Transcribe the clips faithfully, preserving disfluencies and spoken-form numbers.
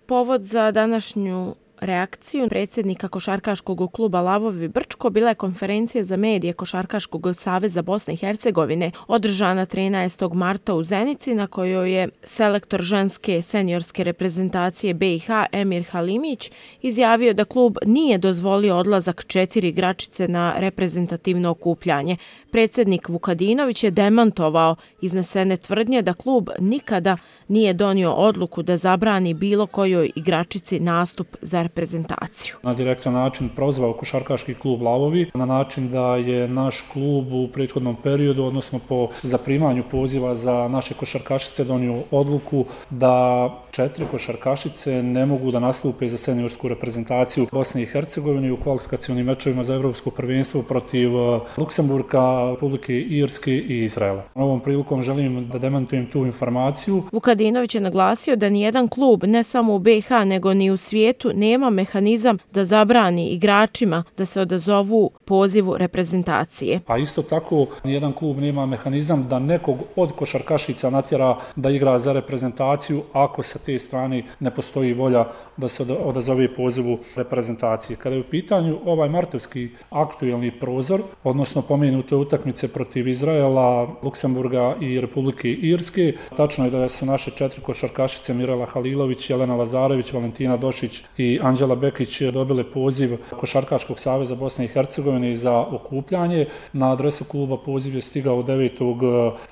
Povod za današnju reakciju predsjednika košarkaškog kluba Lavovi Brčko bila je konferencija za medije Košarkaškog saveza Bosne i Hercegovine održana trinaestog marta u Zenici, na kojoj je selektor ženske seniorske reprezentacije B i H Emir Halimić izjavio da klub nije dozvolio odlazak četiri igračice na reprezentativno okupljanje. Predsjednik Vukadinović je demantovao iznesene tvrdnje da klub nikada nije donio odluku da zabrani bilo kojoj igračici nastup za reprezentaciju. Na direktan način prozvao košarkaški klub Lavovi na način da je naš klub u prethodnom periodu, odnosno po zaprimanju poziva za naše košarkašice, donio odluku da četiri košarkašice ne mogu da nastupe za seniorsku reprezentaciju Bosne i Hercegovine u kvalifikacionim mečevima za evropsko prvenstvo protiv Luksemburga, Republike Irske i Izraela. Ovom prilikom želim da demantujem tu informaciju. Vukadinović je naglasio da nijedan klub, ne samo u B i H, nego ni u svijetu, nema mehanizam da zabrani igračima da se odazovu pozivu reprezentacije. A isto tako, nijedan klub nema mehanizam da nekog od košarkašica natjera da igra za reprezentaciju ako sa te strane ne postoji volja da se odazove pozivu reprezentacije. Kada je u pitanju ovaj martovski aktuelni prozor, odnosno pomenute utakmice protiv Izraela, Luksemburga i Republike Irske, tačno je da su naše četiri košarkašice Mirela Halilović, Jelena Lazarević, Valentina Došić i Anđela Bekić dobile poziv Košarkaškog saveza Bosne i Hercegovine za okupljanje. Na adresu kluba poziv je stigao devetog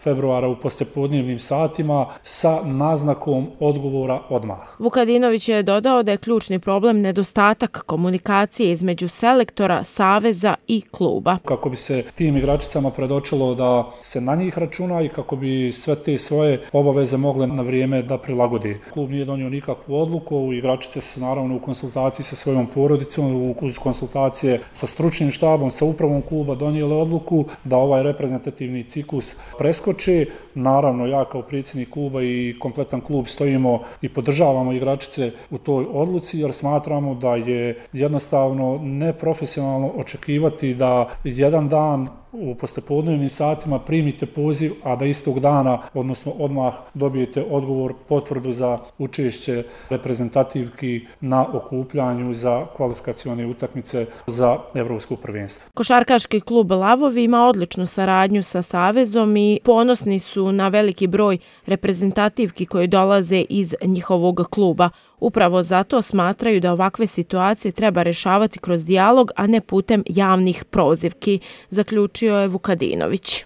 februara u poslijepodnevnim satima sa naznakom odgovora odmah. Vukadinović je dodao da je ključni problem nedostatak komunikacije između selektora, saveza i kluba. Kako bi se tim igračicama predočilo da se na njih računa i kako bi sve te svoje obaveze mogle na vrijeme da prilagode. Klub nije donio nikakvu odluku, igračice su naravno u konsultaciji sa svojom porodicom, uz konsultacije sa stručnim štabom, sa upravom kluba donijele odluku da ovaj reprezentativni ciklus preskoči. Naravno, ja kao predsjednik kluba i kompletan klub stojimo i podržavamo igračice u toj odluci jer smatramo da je jednostavno neprofesionalno očekivati da jedan dan u poslijepodnevnim satima primite poziv, a da istog dana, odnosno odmah dobijete odgovor, potvrdu za učešće reprezentativki na okupljanju za kvalifikacione utakmice za evropsko prvenstvo. Košarkaški klub Lavovi ima odličnu saradnju sa savezom i ponosni su na veliki broj reprezentativki koje dolaze iz njihovog kluba. Upravo zato smatraju da ovakve situacije treba rješavati kroz dijalog, a ne putem javnih prozivki, zaključio je Vukadinović.